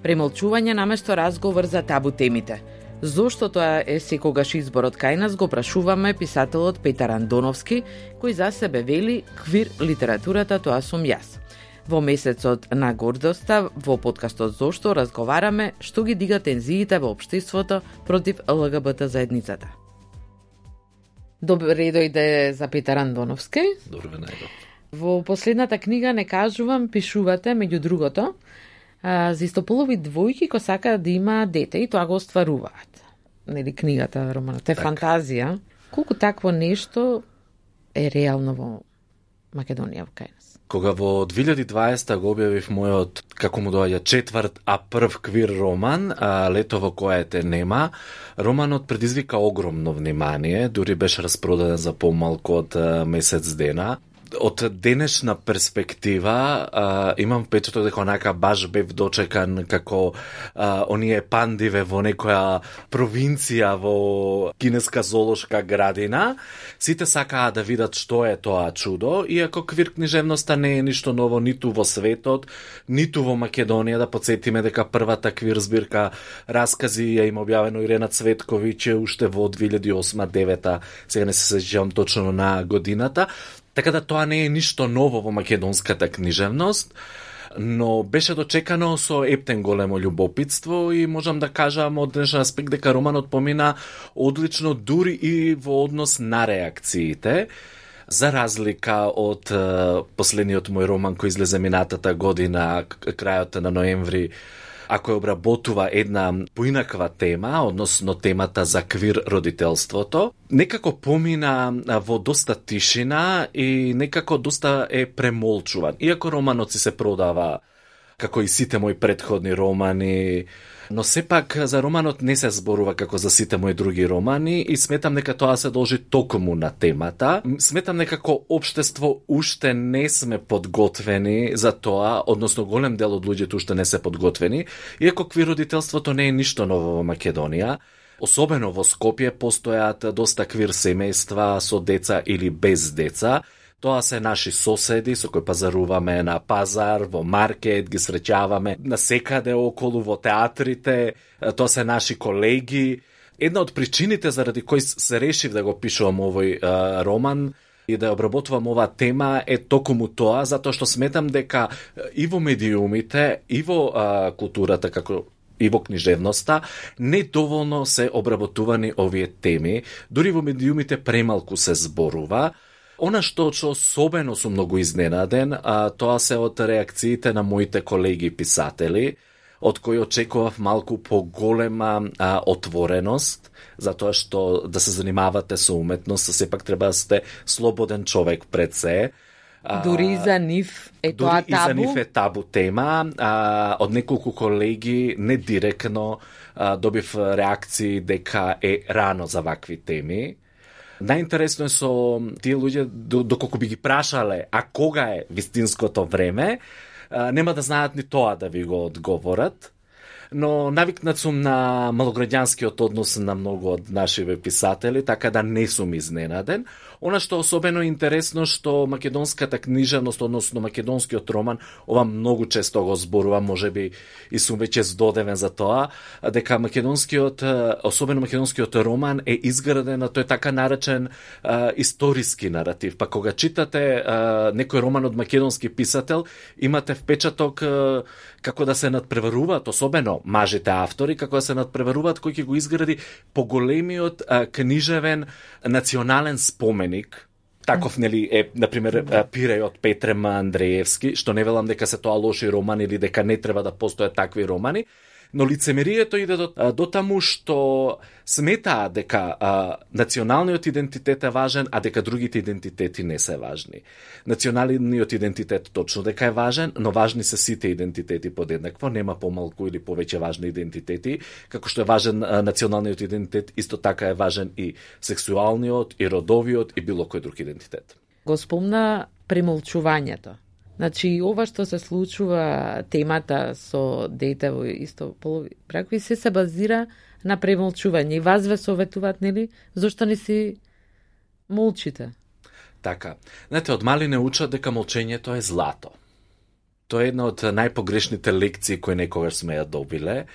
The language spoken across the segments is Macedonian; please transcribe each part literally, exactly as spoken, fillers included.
Премолчување наместо разговор за табу темите. Зошто тоа е секогаш изборот кај нас, го прашуваме писателот Петар Андоновски, кој за себе вели: квир литературата, тоа сум јас. Во месецот на гордоста, во подкастот Зошто, разговараме што ги дига тензиите во општеството против Л Г Б Т заедницата. Добре дојде за Петар Андоновски. Добре најдов. Во последната книга Не кажувам, пишувате, меѓу другото, за истополови двојки кои сакаат да имаат дете и тоа го остваруваат. Нели книгата, романот е фантазија. Колку такво нешто е реално во Македонија, во кај нас? Кога во две илјади и дваесета го објавив мојот, како му доаѓа, четврт, а прв квир роман, а, Лето во кое те нема, романот предизвика огромно внимание, дури беше распродаден за помалку од а, месец дена. Од денешна перспектива а, имам впечаток дека онака баш бев дочекан како а, оние пандиве во некоја провинција во кинеска зоолошка градина. Сите сакаат да видат што е тоа чудо, иако квир книжевноста не е ништо ново ниту во светот, ниту во Македонија. Да подсетиме дека првата квир збирка раскази ја има објавено Ирена Цветковиќ уште во две илјади и осма девета, сега не се сеќавам точно на годината. Така да тоа не е ништо ново во македонската книжевност, но беше дочекано со ептен големо љубопитство и можам да кажам од денешен аспект дека романот помина одлично дури и во однос на реакциите, за разлика од е, последниот мој роман кој излезе минатата година, крајот на ноември, а кој обработува една поинаква тема, односно темата за квир родителството. Некако помина во доста тишина и некако доста е премолчуван. Иако романот си се продава како и сите мои претходни романи, но сепак за романот не се зборува како за сите мои други романи и сметам дека тоа се должи токму на темата. Сметам дека како општество уште не сме подготвени за тоа, односно голем дел од луѓето уште не се подготвени, иако квир родителството не е ништо ново во Македонија. Особено во Скопје постојат доста квир семејства со деца или без деца. Тоа се наши соседи со кои пазаруваме на пазар, во маркет, ги среќаваме насекаде околу во театрите, тоа се наши колеги. Една од причините заради кои се решив да го пишувам овој а, роман и да обработувам оваа тема е токму тоа, затоа што сметам дека и во медиумите, и во а, културата, како и во книжевноста, не доволно се обработувани овие теми, дури во медиумите премалку се зборува. Она што што особено сум многу изненаден, а, тоа се од реакциите на моите колеги писатели, од кои очекував малку поголема а, отвореност, затоа што да се занимавате со уметност, сепак треба да сте слободен човек пред се. Дури и за нив е тоа табу? Дури и за нив е табу тема. А, од неколку колеги, не директно, а, добив реакции дека е рано за вакви теми. Најинтересно е со тие луѓе, доколку би ги прашале, а кога е вистинското време, нема да знаат ни тоа да ви го одговорат. Но навикнат сум на малограѓанскиот однос на многу од нашиве писатели, така да не сум изненаден. Она што особено интересно што македонската книжевност, односно македонскиот роман, ова многу често го зборува, можеби и сум веќе здодевен за тоа, дека македонскиот, особено македонскиот роман е изграден на тој така наречен а, историски наратив. Па кога читате а, некој роман од македонски писател, имате впечаток а, како да се надпреваруваат, особено мажите автори, како да се надпреваруваат кој ќе го изгради поголемиот а, книжевен национален споменик. Таков, нели, е, например, Пиреј од Петре Андреевски, што не велам дека се тоа лоши романи или дека не треба да постојат такви романи, но лицемерието иде до, до таму што сметаа дека а, националниот идентитет е важен, а дека другите идентитети не се важни. Националниот идентитет точно дека е важен, но важни се сите идентитети подеднакво, нема помалку или повеќе важни идентитети, како што е важен а, националниот идентитет, исто така е важен и сексуалниот, и родовиот, и било кој друг идентитет. Го спомна премолчувањето. Значи, ова што се случува, темата со дете во истополови бракови, се се базира на премолчување. И вас ве советуваат, нели? Зошто не си молчите? Така. Знаете, од мали не учат дека молчењето е злато. Тоа е една од најпогрешните лекции кои некогаш сме ја добиле.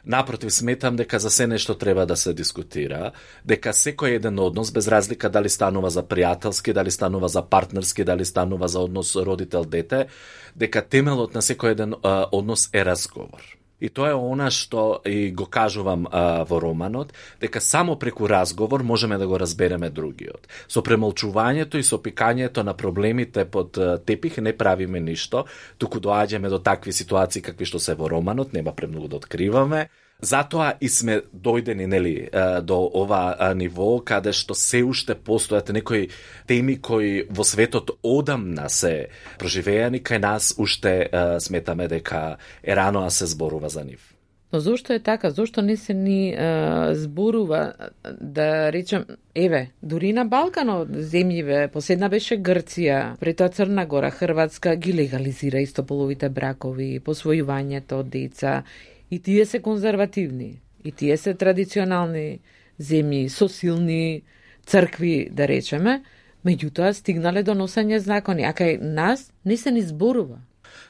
Напротив, сметам дека за се нешто треба да се дискутира, дека секој еден однос, без разлика дали станува за пријателски, дали станува за партнерски, дали станува за однос родител-дете, дека темелот на секој еден а, однос е разговор. И тоа е она што и го кажувам а, во романот, дека само преку разговор можеме да го разбереме другиот. Со премолчувањето и со пикањето на проблемите под тепих не правиме ништо, туку доаѓаме до такви ситуации какви што се во романот, нема премногу да откриваме. Затоа и сме дојдени, нели, до ова ниво каде што се уште постојат некои теми кои во светот одамна се проживеани, кај нас уште сметаме дека е рано а се зборува за нив. Но зошто е така? Зошто не се ни е, зборува, да речем, еве, дури на Балканот земјиве, последна беше Грција, пред тоа Црна Гора, Хрватска ги легализира истополовите бракови, посвојувањето од деца. И тие се конзервативни, и тие се традиционални земји, со силни цркви, да речеме, меѓутоа стигнале до носење закони, а кај нас не се ни зборува.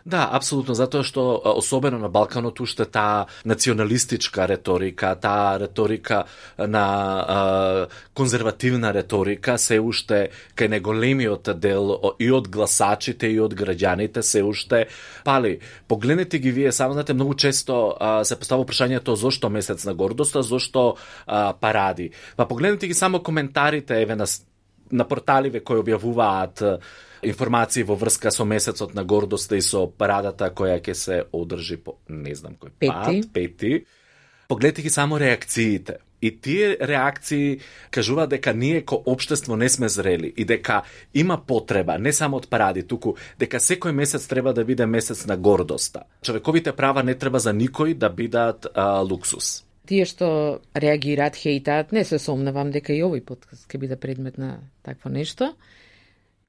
Да, апсолутно, затоа што особено на Балканот уште таа националистичка реторика, таа реторика на а, конзервативна реторика се уште кај неголемиот дел и од гласачите и од граѓаните се уште пали. Погледнете ги вие, само знаете, многу често а, се постава прашањето зошто месец на гордоста, зошто а, паради. Па погледнете ги само коментарите еве на на порталиве кои објавуваат информации во врска со месецот на гордоста и со парадата која ќе се одржи по не знам кој пат, пети. Погледнете ги само реакциите. И тие реакции кажуваат дека ние ко општество не сме зрели и дека има потреба не само од паради, туку дека секој месец треба да биде месец на гордоста. Човековите права не треба за никој да бидат а, луксус. Тие што реагираат, хейтаат, не се сомневам дека и овој подкаст ќе биде предмет на такво нешто.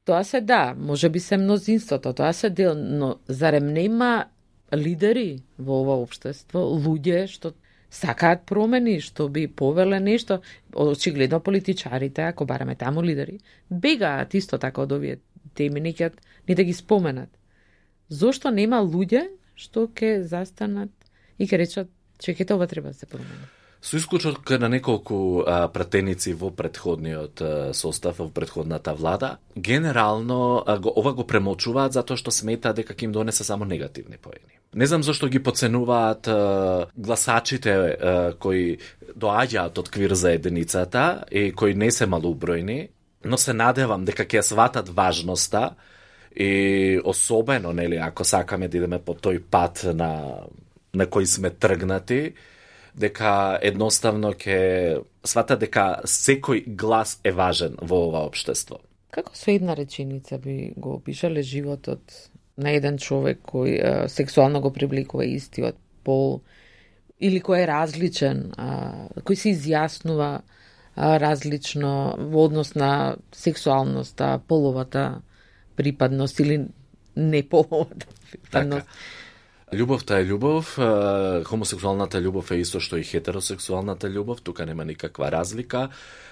Тоа се да, може би се мнозинството, тоа се дел, но зарем нема лидери во ова општество, луѓе што сакаат промени, што би повеле нешто, очигледно политичарите, ако бараме таму лидери, бегаат исто така од овие теми, не ќе ни да ги споменат. Зошто нема луѓе што ќе застанат и ќе речат чекайте, ова треба да се промени? Со исклучок на неколку а, пратеници во претходниот а, состав, во претходната влада, генерално а, го, ова го премолчуваат затоа што сметаат дека ќе им донесе само негативни поени. Не знам зашто ги подценуваат а, гласачите а, кои доаѓаат од квир заедницата и кои не се малоубројни, но се надевам дека ќе сватат важноста и особено, нели, ако сакаме да идеме по тој пат на на кој сме тргнати, дека едноставно ќе свата дека секој глас е важен во ова општество. Како со една реченица би го опишале животот на еден човек кој а, сексуално го привлекува истиот пол или кој е различен, а, кој се изјаснува а, различно во однос на сексуалноста, половата припадност или неполовата припадност? Така. Љубовта е љубов, хомосексуалната љубов е исто што и хетеросексуалната љубов, тука нема никаква разлика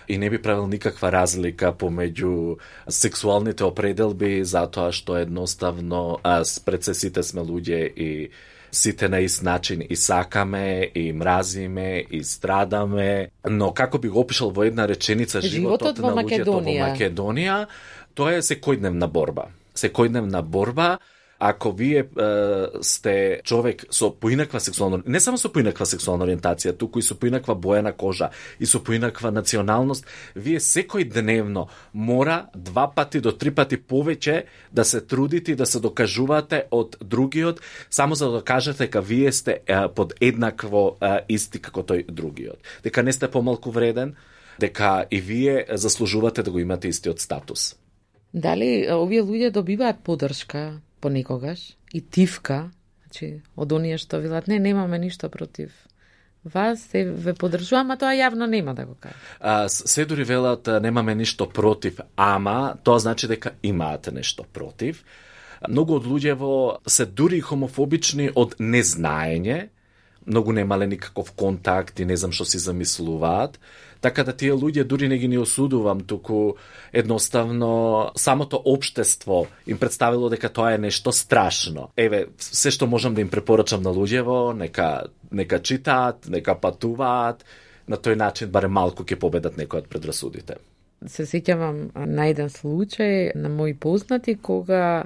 и не би правил никаква разлика помеѓу сексуалните определби затоа што едноставно пред се сите сме луѓе и сите на ист начин и сакаме, и мразиме, и страдаме, но како би го опишал во една реченица животот, животот на луѓето во Македонија, тоа е секојдневна борба. Секојдневна борба. Ако вие е, сте човек со поинаква сексуална, не само со поинаква сексуална ориентација, туку и со поинаква боја на кожа и со поинаква националност, вие секој дневно мора два пати до три пати повеќе да се трудите и да се докажувате од другиот, само за да докажете дека вие сте е, под еднакво е, исти како тој другиот. Дека не сте помалку вреден, дека и вие заслужувате да го имате истиот статус. Дали овие луѓе добиваат поддршка понекогаш и тивка, значи од оние што велат не немаме ништо против вас, се ве поддржувам, а тоа јавно нема да го кажа. А, се дури велат немаме ништо против, ама тоа значи дека имаат нешто против. Многу од луѓево се дури хомофобични од незнаење, многу немале никаков контакт и не знам што си замислуваат. Така да тие луѓе дури не ги не осудувам, туку едноставно самото општество им представило дека тоа е нешто страшно. Еве, се што можам да им препорачам на луѓево, нека нека читаат, нека патуваат, на тој начин барем малку ќе победат некои од предрасудите. Се сеќавам на еден случај на мои познати кога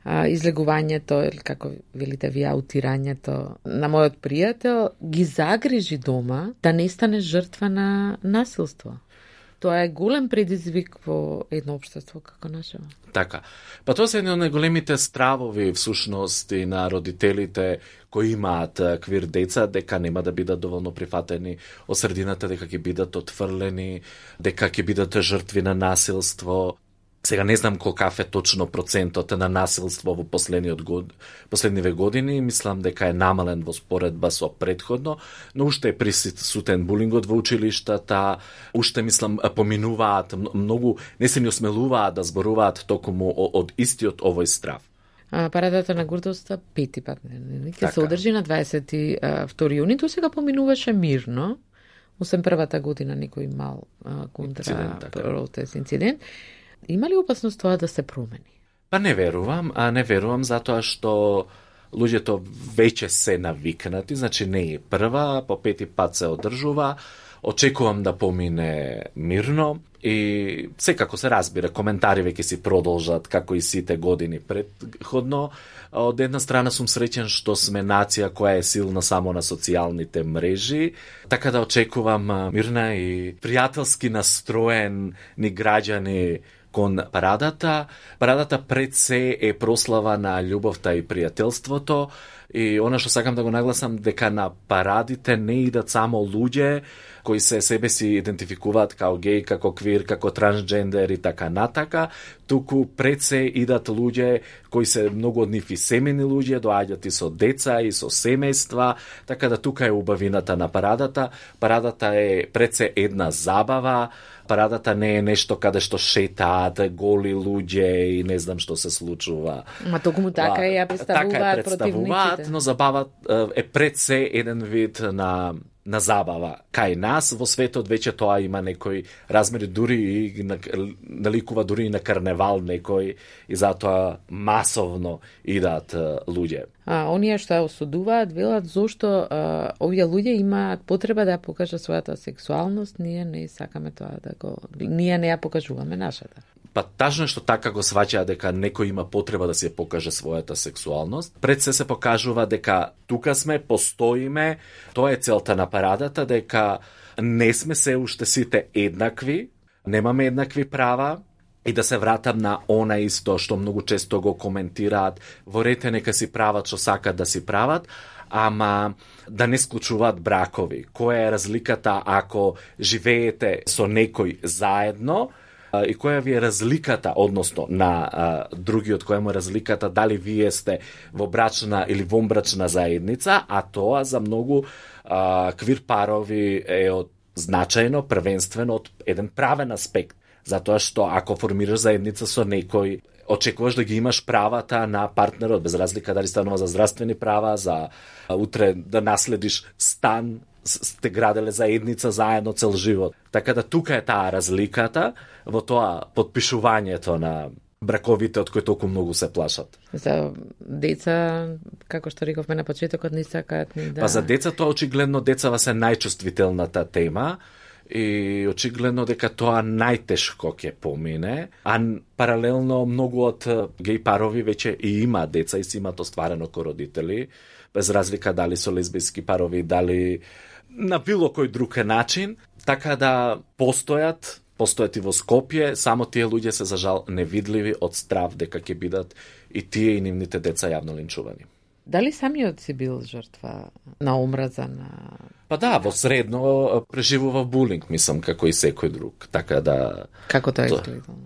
а, излегувањето, или како велите вие, аутирањето на мојот пријател ги загрижи дома да не стане жртва на насилство. Тоа е голем предизвик во едно општество како нашето. Така. Па тоа се едни од најголемите стравови всушност и на родителите кои имаат квир деца, дека нема да бидат доволно прифатени од средината, дека ќе бидат отфрлени, дека ќе бидат жртви на насилство. Сега не знам колкав е точно процентот на насилство во последниот год, последниве години, мислам дека е намален во споредба со претходно, но уште е присутен булингот во училиштата, уште мислам поминуваат многу, не се ни осмелуваат да зборуваат токму од истиот овој страв. А, парадата на гордоста пети пат не ќе се одржи на дваесет и втори јуни, тоа сега поминуваше мирно, осем првата година некој мал контра протест инцидент. Има ли опасност тоа да се промени? Па не верувам, а не верувам затоа што луѓето веќе се навикнати, значи не е прва, по пети пат се одржува, очекувам да помине мирно и секако се разбира, коментари веќе си продолжат како и сите години предходно. Од една страна сум среќен што сме нација која е силна само на социјалните мрежи, така да очекувам мирна и пријателски настроен ни граѓани кон парадата. Парадата пред се е прослава на љубовта и пријателството и она што сакам да го нагласам дека на парадите не идат само луѓе кои се себе си идентификуваат како геј, како квир, како трансджендер и така натака, туку пред се идат луѓе кои се многу од нив и семени луѓе, доаѓаат и со деца и со семејства, така да тука е убавината на парадата. Парадата е пред се една забава, парадата не е нешто каде што шетаат голи луѓе и не знам што се случува. Ма токму така е ја представуваат така е представуваат, но забават е пред се еден вид на на забава. Кај нас во светот веќе тоа има некои размери, дури и наликува дури и на карневал некој и затоа масовно идат луѓе. А оние што ја осудуваат велат зошто а, овие луѓе имаат потреба да ја покажат својата сексуалност, ние не сакаме тоа да го ние не ја покажуваме нашата. Па тажно е што така го сваќа дека некој има потреба да се покаже својата сексуалност. Пред се се покажува дека тука сме, постоиме, тоа е целта на парадата, дека не сме се уште сите еднакви, немаме еднакви права, и да се вратам на она исто што многу често го коментираат, во рете нека си прават што сакат да си прават, ама да не склучуваат бракови. Која е разликата ако живеете со некој заедно, и која ви е разликата, односно на а, другиот, која му е разликата дали вие сте во брачна или вонбрачна заедница, а тоа за многу а, квир парови е од значајно, првенствено од еден правен аспект. Затоа што ако формираш заедница со некој, очекуваш да ги имаш правата на партнерот, без разлика дали станува за здравствени права, за а, утре да наследиш стан, сте граделе заедница заедно цел живот. Така да тука е таа разликата во тоа подпишувањето на браковите од кои толку многу се плашат. За деца, како што рековме на почетокот, не сакаат ни да... Па за деца тоа очигледно децава се најчувствителната тема и очигледно дека тоа најтешко ќе помине, а паралелно многу од геј парови веќе и има деца и си имаат остварено ко родители, без разлика дали со лесбијски парови, дали на било кој друг начин, така да постојат, постојат и во Скопје, само тие луѓе се за жал невидливи од страв дека ќе бидат и тие и нивните деца јавно линчувани. Дали самиот си бил жртва на омраза на... Па да, во средно преживува булинг, мислам, како и секој друг, така да... Како тоа изгледало?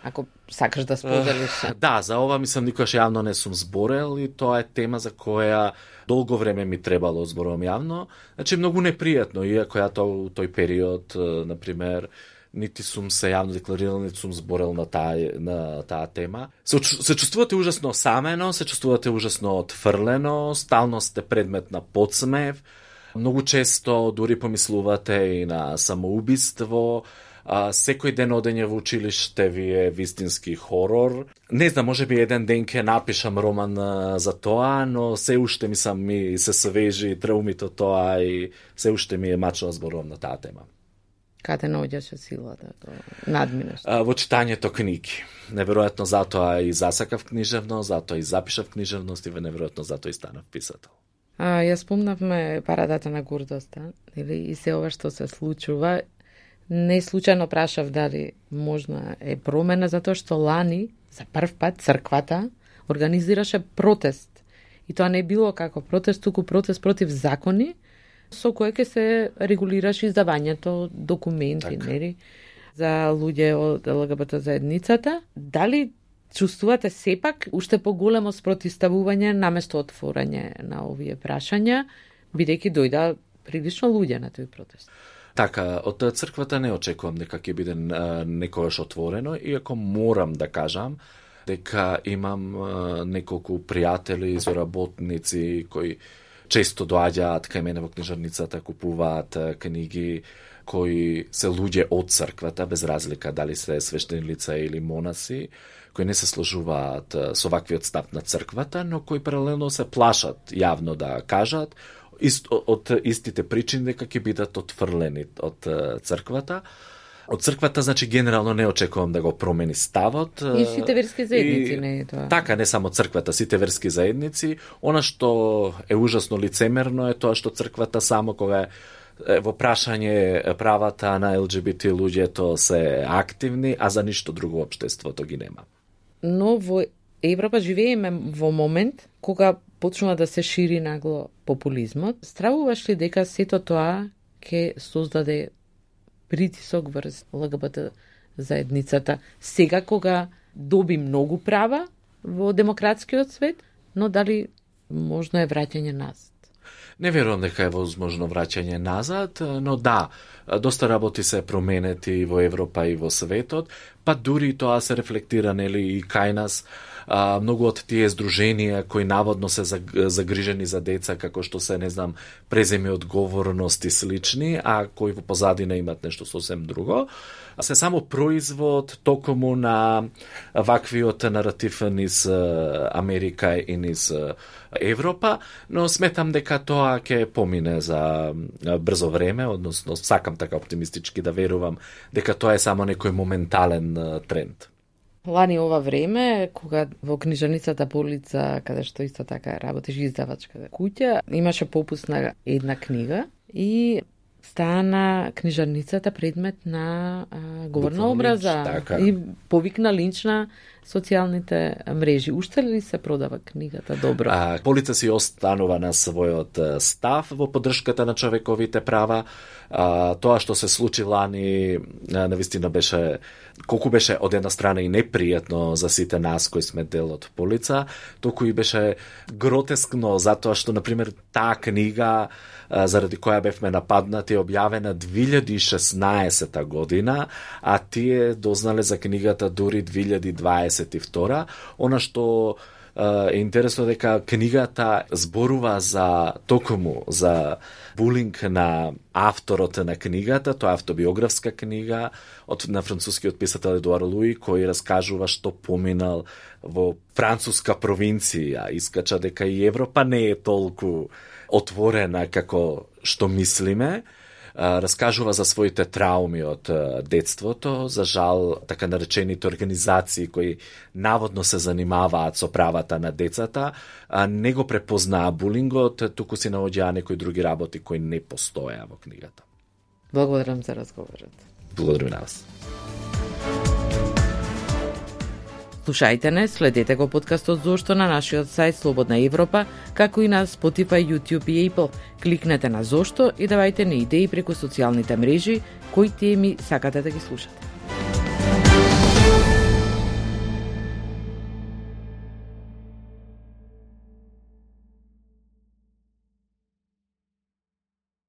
Ако сакаш да споделиш. Uh, да, за ова мислам никогаш јавно не сум зборел и тоа е тема за која долго време ми требало зборувам јавно. Значи многу непријатно, иако ја тоа тој период, например, нити сум се јавно декларирал, нити сум зборел на таа на таа тема. Се, се чувствувате ужасно самено, се чувствувате ужасно отфрлено, стално сте предмет на подсмев, многу често дури помислувате и на самоубиство. А, секој ден одење во училиште ви е вистински хорор. Не знам, може би еден ден ќе напишам роман а, за тоа, но се уште ми сам ми се свежи траумите тоа и се уште ми е мачно зборувам на таа тема. Каде наоѓаше силата, тоа надминеш? А, во читањето книги. Неверојатно затоа и засакав книжевност, затоа и запишав книжевност и неверојатно затоа и станав писател. А, ја спомнавме парадата на гордоста, или и се ова што се случува. Не случајно прашав дали можна е промена, затоа што лани, за прв пат, црквата организираше протест. И тоа не било како протест, туку протест против закони, со кој ќе се регулираше издавањето документи, нели, за луѓе од Ел Ге Бе Те заедницата. Дали чувствувате сепак уште поголемо спротивставување наместо отворање на овие прашања, бидејќи дојда прилично луѓе на тој протест? Така, од црквата не очекувам дека ќе биде некојаш отворено, иако морам да кажам дека имам неколку пријатели, соработници кои често доаѓаат кај мене во книжарницата, купуваат книги, кои се луѓе од црквата, без разлика дали се свештени лица или монаси, кои не се сложуваат со ваквиот став на црквата, но кои паралелно се плашат јавно да кажат Ист, од истите причини дека ќе бидат отфрлени од црквата. Од црквата, значи, генерално не очекувам да го промени ставот. И сите верски заедници, и, не е тоа. Така, не само црквата, сите верски заедници. Она што е ужасно лицемерно е тоа што црквата само кога е во прашање правата на Ел Ге Би Те луѓето се активни, а за ништо друго општеството ги нема. Но во Европа живееме во момент кога почнува да се шири нагло популизмот. Стравуваш ли дека сето тоа ќе создаде притисок врз Ел Ге Бе Те заедницата сега кога доби многу права во демократскиот свет, но дали можно е враќање назад? Не верувам дека е возможно враќање назад, но да, доста работи се променети во Европа и во светот, па дури тоа се рефлектира нели и кај нас. А, многу од тие здруженија кои наводно се загрижени за деца, како што се, не знам, преземи одговорност и слични, а кои во позадина имат нешто сосем друго, се само производ токму на ваквиот наратив низ Америка и низ Европа, но сметам дека тоа ќе помине за брзо време, односно сакам така оптимистички да верувам дека тоа е само некој моментален тренд. Лани ова време, кога во книжарницата Полица, каде што исто така работиш издавачка куќа, имаше попуст на една книга и стана книжарницата предмет на а, говорна образа така. И повикна линч на социјалните мрежи. Уште ли се продава книгата добро? А, Полица си останува на својот став во поддршката на човековите права. А, тоа што се случи лани навистина беше, колку беше од една страна и непријатно за сите нас кои сме дел од Полица, толку и беше гротескно затоа што, например, таа книга заради која бевме нападнати, објавена две илјади и шеснаесета година, а тие дознале за книгата дури две илјади дваесет и втора. Она што е интересно дека книгата зборува за токму за булинг на авторот на книгата, тоа е автобиографска книга од на францускиот писател Едуар Луи, кој раскажува што поминал во француска провинција, искача дека и Европа не е толку отворена како што мислиме, раскажува за своите трауми од детството, за жал така наречените организации кои наводно се занимаваат со правата на децата, не го препознаа булингот, туку си наоѓаа некои други работи кои не постоеа во книгата. Благодарам за разговорот. Благодарам на вас. Слушајте не, следете го подкастот Зошто на нашиот сајт Слободна Европа, како и на Spotify, YouTube и Apple. Кликнете на Зошто и давајте ни идеи преку социјалните мрежи кои теми сакате да ги слушате.